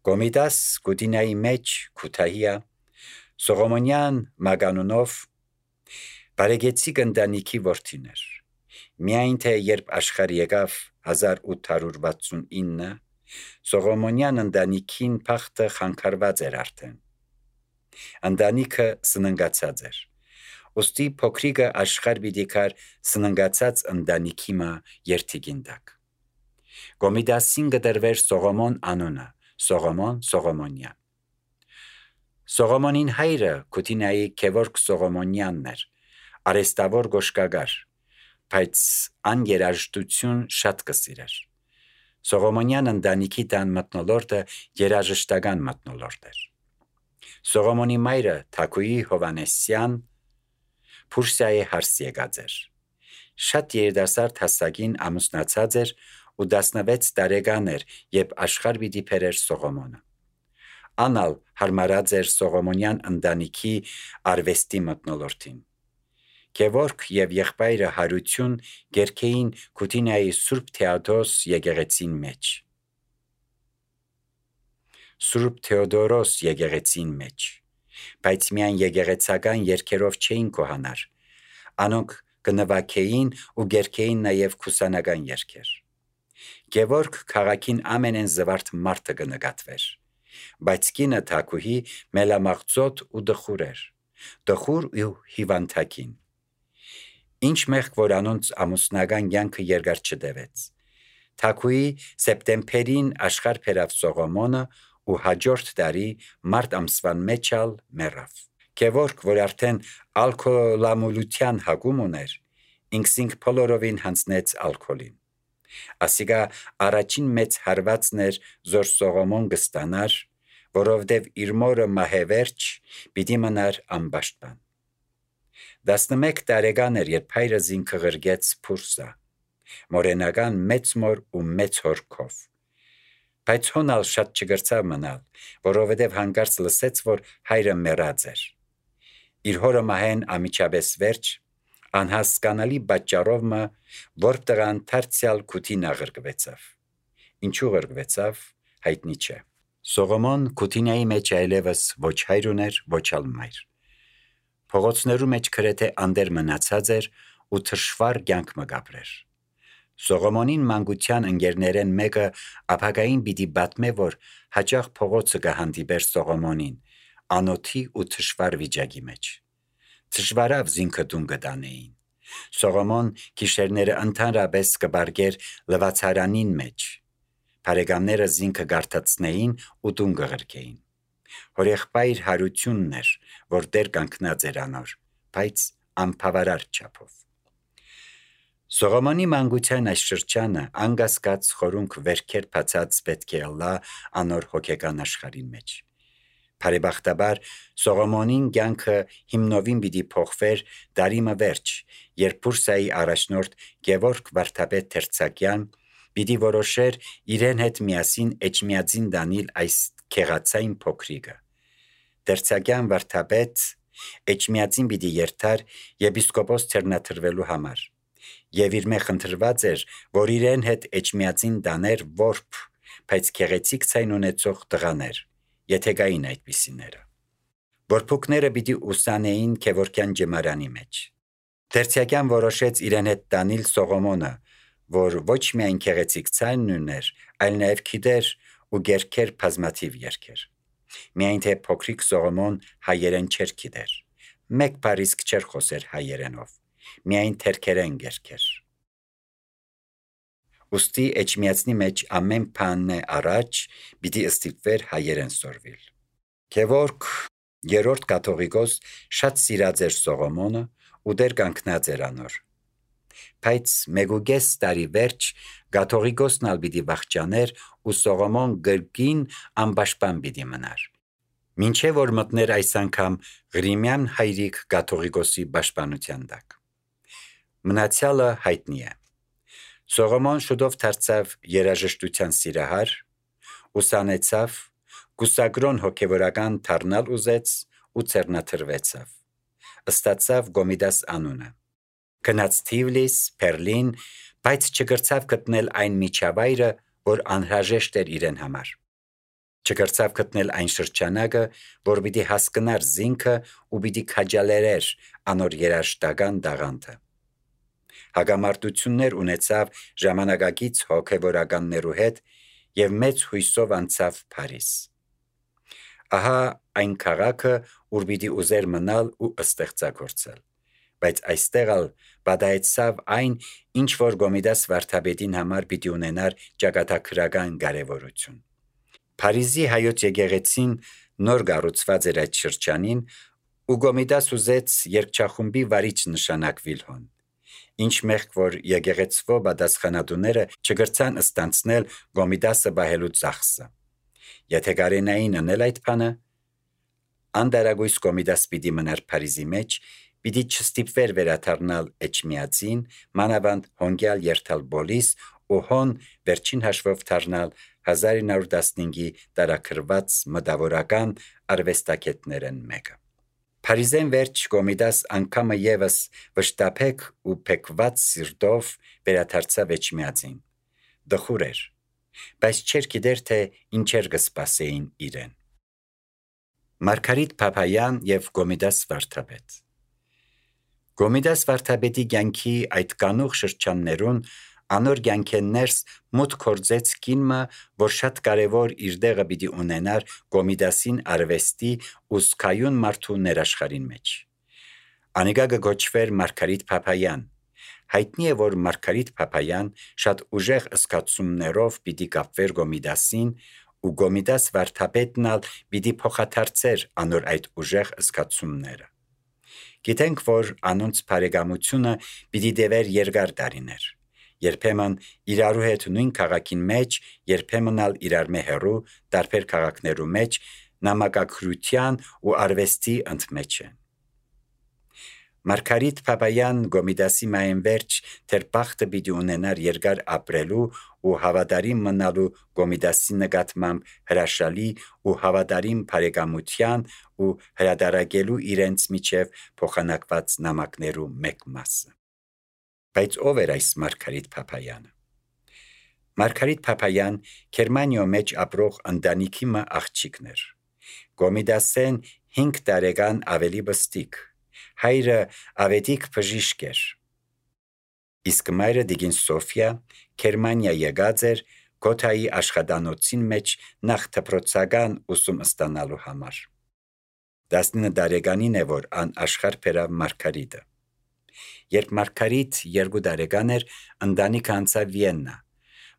Գոմիդաս Գուդինայի մեջ Քութահիա Սողոմոնյան Մագանունով բարեգեցիկ ընտանիքի որդիներ։ Միայն թե երբ աշխարհ եկավ 1869, Սողոմոնյան ընտանիքին փախտը խանգարված էր արդեն։ Ընտանիքը սննգացած էր։ Ոստի փոքրիկը աշխարհ պիտի գար սննգացած ընտանիքի մա երթիկին տակ։ Գոմիդասին գդրվեր Սողոմոն անունը, Սողոմոնյան։ Սողոմոնին հայրը Քութինայի Գևորգ Սողոմոնյանն էր, արեստավոր գոշկագար, բայց ան երաժշտություն շատ կսիրեր։ Սողոմոնյան ընտանիքի տան մթնոլորտը երաժշտական մթնոլորտ էր։ Սողոմոնի մայրը Թաքուի Հովանեսյան Փուրսիայի հարս եկած էր։ Շատ երիտասարդ հասակին ամուսնացած էր ու 16 տարեկան էր, երբ աշխարհ պիտի բերեր Սողոմոնը։ Անալ հարմարած էր Սողոմոնյան ընտանիքի արվեստի մթնոլորտին։ Գևորգ եւ եղբայրը Հարություն գերքեին Քութինայի Սուրբ Թեոդոս եկեղեցին մեջ։ Սուրբ Թեոդորոս եկեղեցին մեջ, բայց միայն եկեղեցական երգերով չէին կոհանար, անոնք կնվագեին ու գերքեին նաև քուսանական երգեր։ Գևորգ քաղաքին ամենեն զվարթ մարդը կնկատվեր, բայց կինը Թաքուհի մելամաղձոտ ու դխուր էր, դխուր ու հիվանդակին։ Ինչ մեղք որ անոնց ամուսնական կյանքը երկար չտևեց։ Թաքուի սեպտեմբերին աշխարհ բերավ Սողոմոնը ու հաջորդ տարի մարտ ամսվան մեջ ալ մեռավ։ Գևորգ, որ արդեն ալկոհոլամոլության հագում ուներ, ինքսինք բոլորովին հանձնեց ալկոհոլին։ Ասիկա առաջին մեծ հարվածն էր, որ Սողոմոն կստանար, որովհետև իր մորը մահևերջ պիտի մնար անպաշտպան։ 11 տարեկան էր, երբ հայրը զինքը ղրգեց Փուրսա, մորենական մեծ մոր ու մեծ հորքով։ Բայց հոնալ շատ չգրցավ մնալ, որովհետև հանկարծ լսեց, որ հայրը մեռած էր։ Իր հորը մահեն ամիջապես վերջ, անհասկանալի պատճառով մը, որ տղան դարձյալ Քութինա ղրկվեցավ։ Ինչու ղրկվեցավ, հայտնի չէ։ Սողոմոն Քութինայի մեջ այլևս ոչ հայր ուներ, ոչ ալ մայր։ Փողոցներու մեջ գրեթե անդեր մնացած էր ու թշվառ կյանք մը գաբրեր։ Սողոմոնին մանկության ընկերներեն մեկը ապագային պիտի պատմե, որ հաճախ փողոցը կհանդիպեր Սողոմոնին, անոթի ու թշվառ վիճակի մեջ։ Թշվառավ զինքը տուն կտանեին։ Սողոմոն գիշերները ընդհանրապես կբարգեր լվացարանին մեջ։ Բարեկամները զինքը գարտացնեին ու տուն կղրկեին։ Հորեղբայր Հարությունն էր, որ դեր կանգնած էր անոր, բայց անբավարար չափով։ Սողոմոնի մանկության այս շրջանը անկասկած խորունկ վերքեր բացած պետք է ըլլա անոր հոգեկան աշխարհին մեջ։ Բարեբախտաբար Սողոմոնին կյանքը հիմնովին պիտի փոխվեր դարի մը վերջ, երբ Փուրսայի առաջնորդ Գևորգ վարդապետ Թերցակյան պիտի որոշեր իրեն հետ միասին Էջմիածին դանել այս քեղացային փոքրիկը։ Թերցակյան վարդապետ Էջմիածին պիտի երթար եպիսկոպոս թերնաթրվելու համար, եւ իր մեղ ընտրված էր, որ իրեն հետ Էջմիածին դաներ որբ, բայց քեղեցիկ ցայն ունեցող տղաներ, եթե գային այդպիսիները։ Որփուկները պիտի ուսանեին Գևորգյան ջմարանի մեջ։ Թերցակյան որոշեց իրեն հետ դանել Սողոմոնը, որ ոչ միայն քեղեցիկ ցայն ուներ, այլ նաև գիտեր ու գերքեր բազմաթիվ երգեր։ Միայն թե փոքրիկ Սողոմոն հայերեն չէր գիտեր։ Մեկ բառիսկ չէր խոսեր հայերենով, միայն թերքերեն գերքեր։ Ոստի Էջմիածնի մեջ ամեն բանը առաջ պիտի ստիպվեր հայերեն սորվիլ։ Գևորգ երրորդ կաթողիկոս շատ սիրած էր Սողոմոնը ու դեր կանգնած էր անոր։ Բայց մեգուգես տարի վերջ կաթողիկոսն ալ պիտի վախճաներ ու Սողոմոն գրգին անպաշտպան պիտի մնար։ Մինչև որ մտներ այս անգամ Ղրիմյան հայրիկ կաթողիկոսի պաշտպանության տակ։ Մնացյալը հայտնի է։ Սողոմոն շուտով դարձավ երաժշտության սիրահար, ուսանեցավ, գուսակրոն հոգևորական դառնալ ուզեց ու ցերնաթրվեցավ։ Ստացավ Գոմիդաս անունը։ Գնաց Թիվլիս, Բերլին, բայց չգրցավ գտնել այն միջավայրը, որ անհրաժեշտ էր իրեն համար։ Չկրցավ գտնել այն շրջանակը, որ պիտի հասկնար զինքը ու պիտի քաջալերեր անոր երաժշտական դաղանթը։ Հագամարտություններ ունեցավ ժամանակակից հոգևորականներու հետ եւ մեծ հույսով անցավ Փարիզ։ Ահա այն քաղաքը, ուր պիտի ուզեր մնալ ու ստեղծագործել, բայց այստեղ ալ բադայեցավ այն, ինչ որ Գոմիդաս վարդապետին համար պիտի ունենար ճակատագրական կարևորություն։ Փարիզի հայոց եկեղեցին նոր կառուցված էր այդ շրջանին, ու Գոմիդաս ուզեց երգչախումբի վարիչ նշանակվիլ հոն։ Ինչ մեղք որ եկեղեցվո պատասխանատուները չգրցան ստանցնել Գոմիդասը բահելու ծախսը։ Եթե կարենային անել այդ բանը, անդարագույս Գոմիդաս պիտի մնար Փարիզի մեջ, պիտի չստիպվեր վերադառնալ Էջմիածին, մանավանդ հոնգյալ երթալ Բոլիս ու հոն վերջին հաշվով դառնալ 1915-ի տարաքրված մտավորական արվեստագետներն մեկը։ Փարիզեն վերջ Գոմիդաս անգամը եւս վշտապեկ ու փեկված սիրտով վերադարձավ Էջմիածին։ Դխուր էր, բայց չէր գիտեր թե ինչեր կսպասեին իրեն։ Մարգարիտ Փափայան եւ Գոմիդաս վարդապետ։ Գոմիդաս վարդապետի կյանքի այդ կանուխ շրջաններուն անոր կյանքեն ներս մուտք գործեց կինը, որ շատ կարևոր իր դեղը պիտի ունենար Գոմիդասին արվեստի ու սկայուն մարդու ներաշխարհին մեջ։ Անիկա կոչվեր Մարգարիտ Փափայան։ Հայտնի է, որ Մարգարիտ Փափայան շատ ուժեղ զգացումներով պիտի կապվեր Գոմիդասին, ու Գոմիդաս վարդապետն ալ պիտի փոխադարձեր անոր այդ ուժեղ զգացումները։ Գիտենք, որ անոնց բարեկամությունը պիտի դեվեր երկար տարիներ։ Երբեմն իրարու հետ նույն քաղաքին մեջ, երբեմն ալ իրարմե հեռու տարբեր քաղաքներու մեջ նամակագրության ու արվեստի ընդմեջ են։ Մարգարիտ Փափայան Գոմիդասի մայեն վերջ թեր բախտը պիտի ունենար երկար ապրելու ու հավատարիմ մնալու Գոմիդասի նկատմամբ հրաշալի ու հավատարիմ բարեկամության ու հրադարակելու իրենց միջև փոխանակված նամակներու մեկ մասը։ Բայց ով էր այս Մարգարիտ Փափայանը։ Մարգարիտ Փափայան Գերմանիո մեջ ապրող ընտանիքի մը աղջիկն էր։ Գոմիդասեն 5 տարեկան ավելի բստիկ, հայրը ավետիք բժիշկ էր։ Իսկ մայրը Դիգին Սոֆիա Գերմանիա եկած էր Գոթայի աշխատանոցին մեջ նախ դպրոցական ուսում ստանալու համար։ 19 տարեկանին է, որ ան աշխարհ բերավ Մարգարիտը։ Երբ Մարգարիտ 2 տարեկան էր, ընտանիքը անցավ Վիեննա։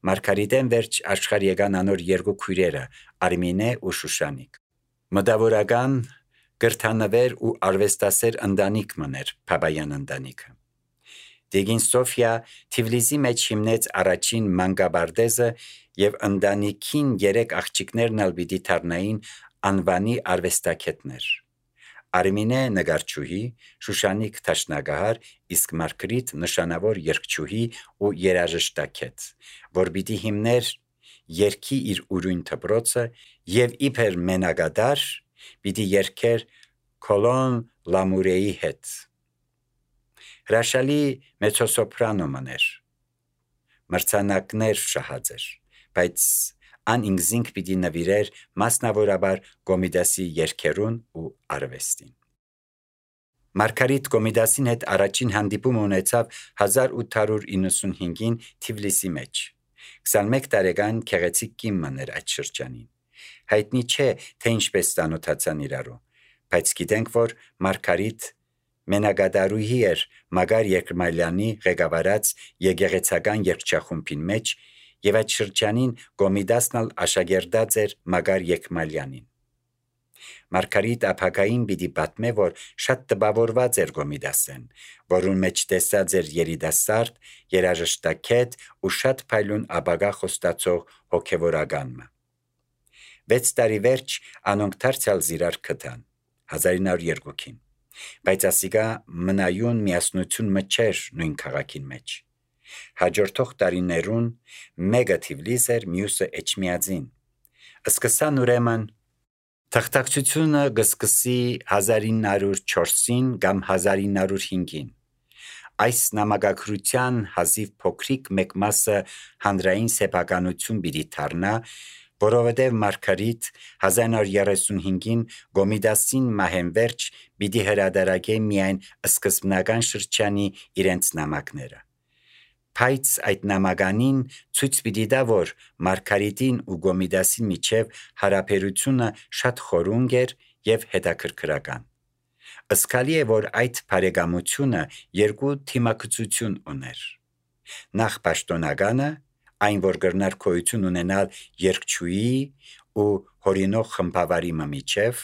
Մարգարիտեն վերջ աշխարհ եկան անոր 2 քույրերը՝ Արմինե ու Շուշանիկ։ Մտավորական, գրթանվեր ու արվեստասեր ընտանիք մներ Փափայան ընտանիքը։ Դիգին Սոֆիա Թիֆլիսի մեջ հիմնեց առաջին մանկաբարձը եւ ընտանիքին 3 աղջիկներն ալ պիտի դառնային անվանի արվեստագետներ։ Արմինե նկարչուհի, Շուշանիկ դաշնագահար, իսկ Մարգարիտ նշանավոր երգչուհի ու երաժշտագետ, որ պիտի հիմներ երգի իր ուրույն դպրոցը եւ իբր մենակադար պիտի երգեր Կոլոն Լամուրեի հետ։ Հրաշալի մեծոսոպրանո մներ։ Մրցանակներ շահած էր, բայց ան ինքզինք պիտի նվիրեր մասնավորաբար Գոմիդասի երգերուն ու արվեստին։ Մարգարիտ Գոմիդասին հետ առաջին հանդիպում ունեցավ 1895-ին Թիֆլիսի մեջ։ 21 տարեկան քեղեցիկ կին մներ այդ շրջանին։ Հայտնի չէ, թե ինչպես ծանոթացան իրարու, բայց գիտենք, որ Մարգարիտ մենակադարուհի էր Մագար Եկմալյանի ղեկավարած եկեղեցական երգչախումբին մեջ եւ այդ շրջանին Գոմիդասն ալ աշակերտած էր Մագար Եկմալյանին։ Մարգարիտ ապագային պիտի պատմե, որ շատ տպավորված էր Գոմիդասեն, որուն մեջ տեսած էր երիտասարդ, երաժշտագետ ու շատ փայլուն ապագա խոստացող հոգևորականը։ 6 տարի վերջ անոնք դարձյալ զիրար գտան 1902-ին, բայց ասիկա մնայուն միասնություն մը չէր նույն քաղաքին մեջ։ Հաջորդող տարիներուն մեկը Թիֆլիս էր, մյուսը Էջմիածին։ Սկսան ուրեմն թղթակցությունը կսկսի 1904-ին կամ 1905-ին։ Այս նամակագրության հազիվ փոքրիկ մեկ մասը հանրային սեփականություն պիտի դառնա, որովհետև Մարգարիտ 1935-ին Գոմիդասին մահենվերջ պիտի հրադարակե միայն սկզբնական շրջանի իրենց նամակները։ Բայց այդ նամականին ցույց պիտի տա, որ Մարգարիտին ու Գոմիդասի միջև հարաբերությունը շատ խորունգ էր և հետաքրքրական։ Զգալի է, որ այդ բարեկամությունը երկու թիմակցություն ուներ։ Նախ պաշտոնականը, այն որ կրնար գոյություն ունենալ երգչուհի ու հորինող խմբավարի միջև,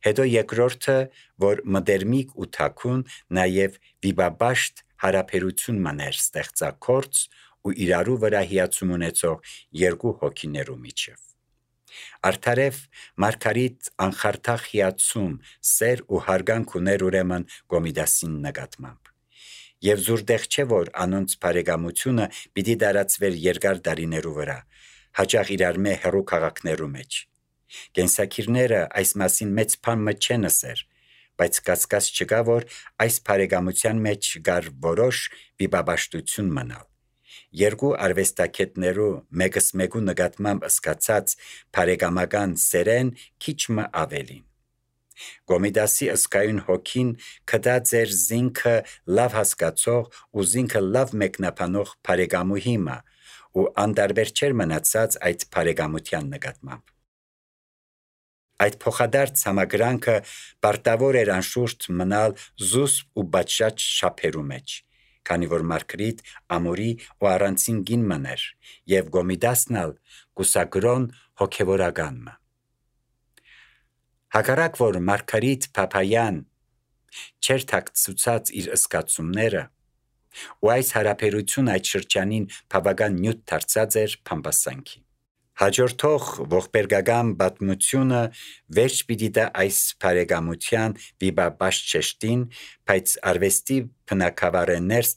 հետո երկրորդը, որ մտերմիկ ու թաքուն, նաև վիպաբաշտ հարաբերություն մներ ստեղծագործ ու իրարու վրա հիացում ունեցող երկու հոգիներու միջև։ Արդարև Մարգարիտ անխարդախ հիացում, սեր ու հարգանք ուներ ուրեմն Գոմիդասին նկատմամբ։ Եվ զուրտեղ չէ, որ անոնց բարեկամությունը պիտի տարածվեր երկար տարիներու վրա, հաճախ իրար մե հեռու քաղաքներու մեջ։ Կենսագիրները այս մասին մեծ բան մը չեն ասեր, բայց կասկած չկա, որ այս բարեկամության մեջ կար որոշ վիպաբաշտություն մնալ։ Երկու արվեստագետներու մեկս մեկու նկատմամբ զգացած բարեկամական սերեն քիչ մը ավելին։ Գոմիդասի ըսկայուն հոգին կդած էր զինքը լավ հասկացող ու զինքը լավ մեկնաբանող բարեկամուհի մը ու անդարբեր չէր մնացած այդ բարեկամության նկատմամբ։ Այդ փոխադարձ համակրանքը պարտավոր էր անշուշտ մնալ զուսպ ու բաճած շափերու մեջ, քանի որ Մարգարիտ ամորի ու առանցին գին մներ և Գոմիդասն ալ կուսակրոն հոգևորական մը։ Հակառակ որ Մարգարիտ Փափայան չէր թաքցուցած իր զգացումները, ու այս հարաբերությունը այդ շրջանին բավական նյութ դարձած էր փամփասանքի։ Հաջորդող ողբերգական պատմությունը վերջ պիտի տա այս բարեկամության վիպաբաշտ շեշտին, բայց արվեստի բնագավառներս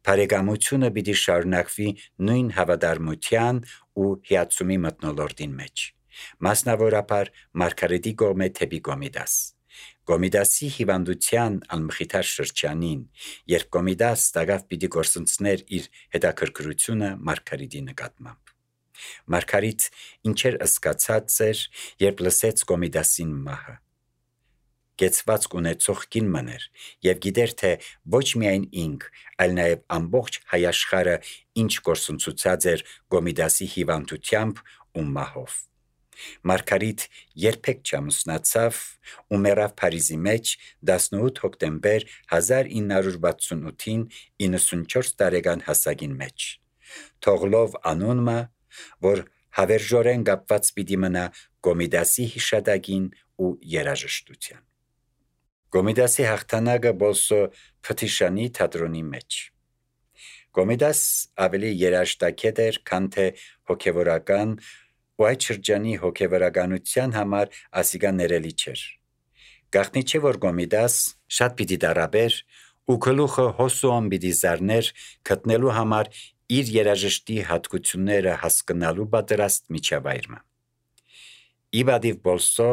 բարեկամությունը պիտի շարունակվի նույն հավատարմության ու հիացումի մթնոլորտին մեջ, մասնավորապես Մարգարիտի կողմէ դեպի Գոմիդաս։ Գոմիդասի հիվանդության անմխիթար շրջանին, երբ Գոմիդաս տագավ պիտի գործընծներ իր հետաքրքրությունը Մարգարիտի նկատմամբ։ Մարգարիտ ինչեր զգացած էր, երբ լսեց Գոմիդասին մահը։ Կեցվածք ունեցող կին մներ և գիտեր, թե ոչ միայն ինք, այլ նաև ամբողջ հայաշխարը ինչ գործընծուցած էր Գոմիդասի հիվանդությամբ ու մահով։ Մարգարիտ երբեք չամուսնացավ ու մեռավ Փարիզի մեջ 18 հոկտեմբեր 1968-ին 94 տարեկան հասակին մեջ, թողլով անունը, որ հավերժորեն կապված պիտի մնա Գոմիդասի հիշատակին ու երաժշտության։ Գոմիդասի հաղթանակը Բոլսո Փթիշանի թատրոնի մեջ։ Գոմիդաս ավելի երաժշտագետ էր, քան թե հոգևորական, ու այդ շրջանի հոգևորականության համար ասիկա ներելի չէր։ Գաղտնի չէ, որ Գոմիդաս շատ պիտի տառապեր ու գլուխը հոսոն պիտի զարներ գտնելու համար իր երաժշտի հատկությունները հասկանալու պատրաստ միջավայրը։ Ի պատիվ Բոլսո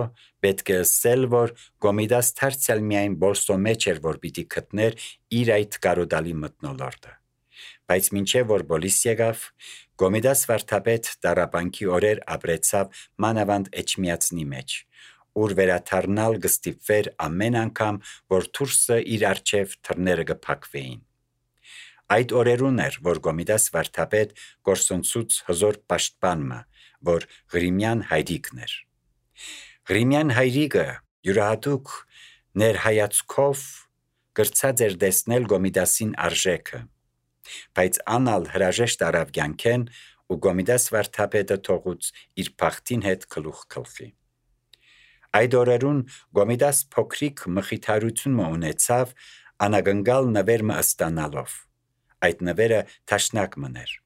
պետք է ասել, որ Գոմիդաս դարձյալ միայն Բոլսո մեջ էր, որ պիտի գտներ իր այդ կարոտալի մթնոլորտը։ Բայց մինչև որ Բոլիս եկավ, Գոմիդաս վարդապետ տառապանքի օրեր ապրեցավ մանավանդ Էջմիածնի մեջ, ուր վերադառնալ կստիպվեր ամեն անգամ, որ դուրսը իր առջև թռները կփակվեին։ Այդ օրերուն էր, որ Գոմիդաս վարդապետ գործընծուց հզոր պաշտպանը, որ Ղրիմյան հայրիկն էր։ Ղրիմյան հայրիկը յուրահատուկ ներհայացքով կրծած էր տեսնել Գոմիդասին արժեքը, բայց անալ հրաժեշտ արավ կյանքեն ու Գոմիդաս վարդապետը թողուց իր բախտին հետ գլուխ գլխի։ Այդ օրերուն Գոմիդաս փոքրիկ մխիթարություն ունեցավ անագնկալ նվեր մը ստանալով։ Այդ նվերը թաշնակ մներ։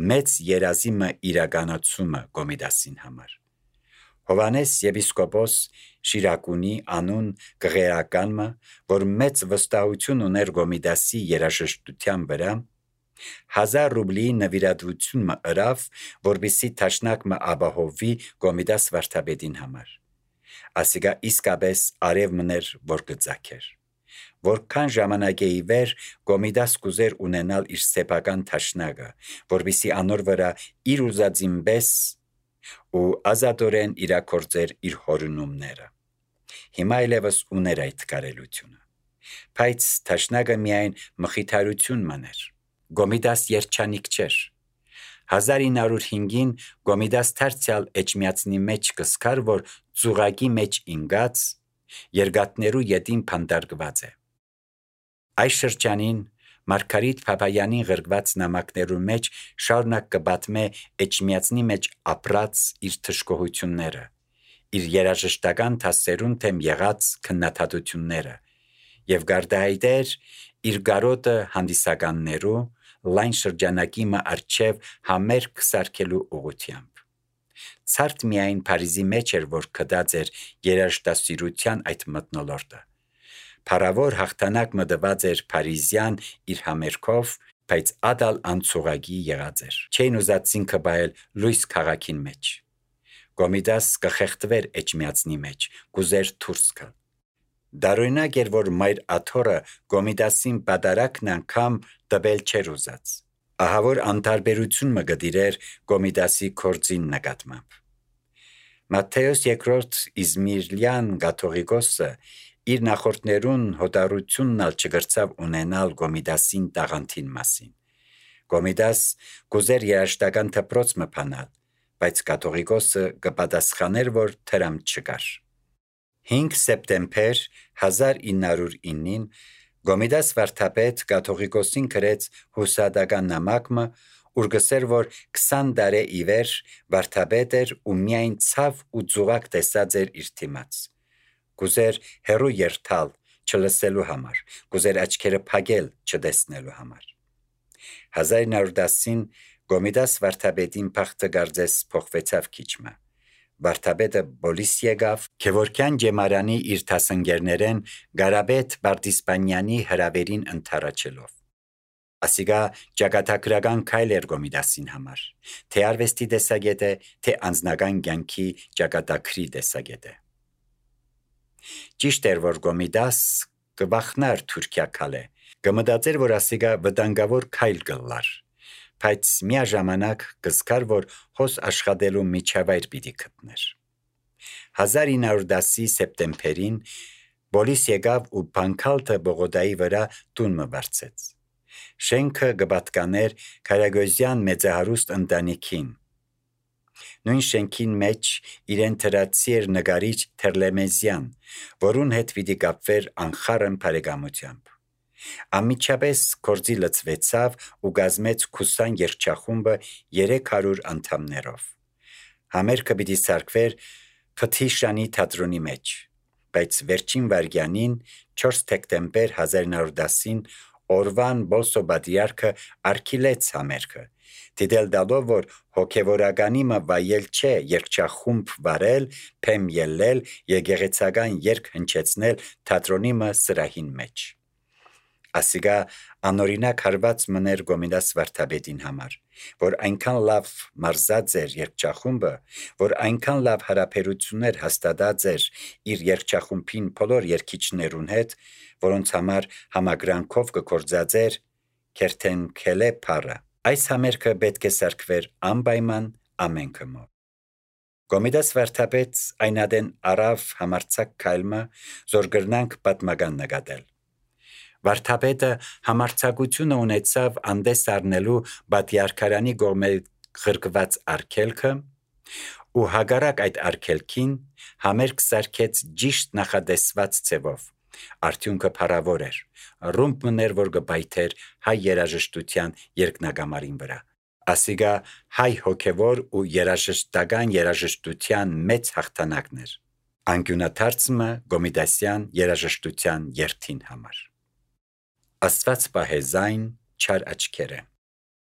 Մեծ երազի մը իրականացումը Գոմիդասին համար։ Հովանես եպիսկոպոս Շիրակունի անուն գղերականը, որ մեծ վստահություն ուներ Գոմիդասի երաժշտության վրա, 1000 ռուբլի նվիրատվություն մը ըրավ, որպեսզի թաշնակ մը ապահովի Գոմիդաս վարդապետին համար։ Ասիկա իսկապես արև մներ, որ կծակեր։ Որքան ժամանակ է ի վեր Գոմիդաս կուզեր ունենալ իր սեփական թաշնակը, որպեսզի անոր վրա իր ուզածին պես ու ազատորեն իրագործեր իր հորունումները։ Հիմա այլևս ուներ այդ կարելությունը, բայց թաշնագը միայն մխիթարություն մներ։ Գոմիդաս երջանիկ չէր։ 1905-ին Գոմիդաս դարձյալ էջմիածնի մեջ կսկար, որ ծուղակի մեջ ինգած երկաթներու ետին փանդարգված է։ Այս շրջանին Մարգարիտ Փափայանին գրված նամակներու մեջ շարունակ կպատմե էջմիածնի մեջ ապրած իր թշկողությունները, իր երաժշտական դասերուն թեմ եղած քննադատությունները եւ գարդահայտեր իր գարոտը հանդիսականներու լայն շրջանակի մը արչև համերգ սարքելու ուղղությամբ։ Ցարտ միայն Փարիզի մեջ էր, որ կդած էր երաժշտասիրության այդ մթնոլորտը։ Փարավոր հաղթանակ մտված էր Փարիզյան իր համերգով, բայց ադալ անցուղագի եղած էր։ Չէին ուզածին կբայել լույս քաղաքին մեջ։ Գոմիդաս կխեղդվեր էջմիածնի մեջ, կուզեր դուրս գալ։ Դարօրինակ էր, որ մայր աթոռը Գոմիդասին պատարակն անգամ տվել չէր ուզած։ Ահա որ անտարբերություն մը գդիրեր Գոմիդասի կորձին նկատմամբ։ Մատթեոս երկրորդ Իզմիրլյան կաթողիկոսը իր նախորդներուն հոտառությունն ալ չգրծավ ունենալ Գոմիդասին տաղանդին մասին։ Գոմիդաս կուզեր երաժշտական դպրոց մը բանալ, բայց կաթողիկոսը կպատասխաներ, որ դրամ չկար։ 5 սեպտեմբեր 1909-ին Գոմիդաս վարդապետ կաթողիկոսին գրեց հուսադական նամակը, ուր գսեր, որ 20 տարի ի վեր վարդապետ էր ու միայն ցավ ու ծուղակ տեսած էր իր թիմաց։ Կուզեր հերու երթալ չլսելու համար, կուզեր աչքերը փակել չտեսնելու համար։ 1910-ին Գոմիդաս վարդապետին փախտը գարձես փոխվեցավ քիչմը։ Վարդապետը բոլիս եկավ Քևորքյան ջեմարանի իր դասընկերներեն Գարաբետ Բարտիսպանյանի հրավերին ընթառաջելով։ Ասիգա ճակատագրական քայլ էր Գոմիդասին համար, թե արվեստի տեսագետը, թե անձնական կյանքի ճակատագրի տեսագետը։ Ճիշտ էր, որ Գոմիդաս կվախնար Թուրքիա քալե, կմտածեր, որ ասիգա վտանգավոր քայլ կլար, բայց միաժամանակ կզգար, որ հոս աշխատելու միջավայր պիտի գտներ։ 1910-ի սեպտեմբերին բոլիս եկավ ու Բանկալթը Բողոդայի վրա տուն մը վարձեց։ Շենքը կպատկաներ Քարագոզյան մեծահարուստ ընտանիքին։ Նույն շենքին մեջ իրեն թրացի էր նկարիչ Թերլեմեզյան, որուն հետ պիտի կապվեր անխառն բարեկամությամբ։ Անմիջապես գործի լծվեցավ ու կազմեց 20 երգչախումբը 300 անդամներով։ Համերգը պիտի սարքվեր Փթիշանի թատրոնի մեջ, բայց վերջին վայրկյանին 4 դեկտեմբեր 1910-ին Օրվան Բոլսո պատրիարքը արգիլեց համերգը, դիտել տալով, որ հոգևորականի մը վայել չէ երգչախումբ վարել, փեմ ելնել, եկեղեցական երգ հնչեցնել թատրոնի մը սրահին մեջ։ Ասիգա անօրինակ հարված մներ Գոմիդաս վարդապետին համար, որ այնքան լավ մարզած էր երգչախումբը, որ այնքան լավ հարաբերություններ հաստատած էր իր երգչախումբին բոլոր երգիչներուն հետ, որոնց համար համագրանքով կգործածեր Քերթենքելե փառը։ Այս համերգը պետք է սարքվեր անպայման ամենքը մոտ։ Գոմիդաս վարդապետ այնադեն արավ համարցակ քայլը, զոր գրնանք պատմական նկատել։ Վարդապետը համարցակությունը ունեցավ անդես առնելու պատիարքարանի կողմէ ղրկված արգելքը ու հակառակ այդ արգելքին համերգ սարքեց ճիշտ նախատեսված ձևով։ Արդյունքը փառավոր էր։ Ռումբ մներ, որ կբայթեր հայ երաժշտության երկնագամարին վրա։ Ասիգա հայ հոգևոր ու երաժշտական երաժշտության մեծ հաղթանակն էր։ Անկյունաթարցմը Գոմիդասյան երաժշտության երթին համար։ Աստված պահե զայն չար աչքերը։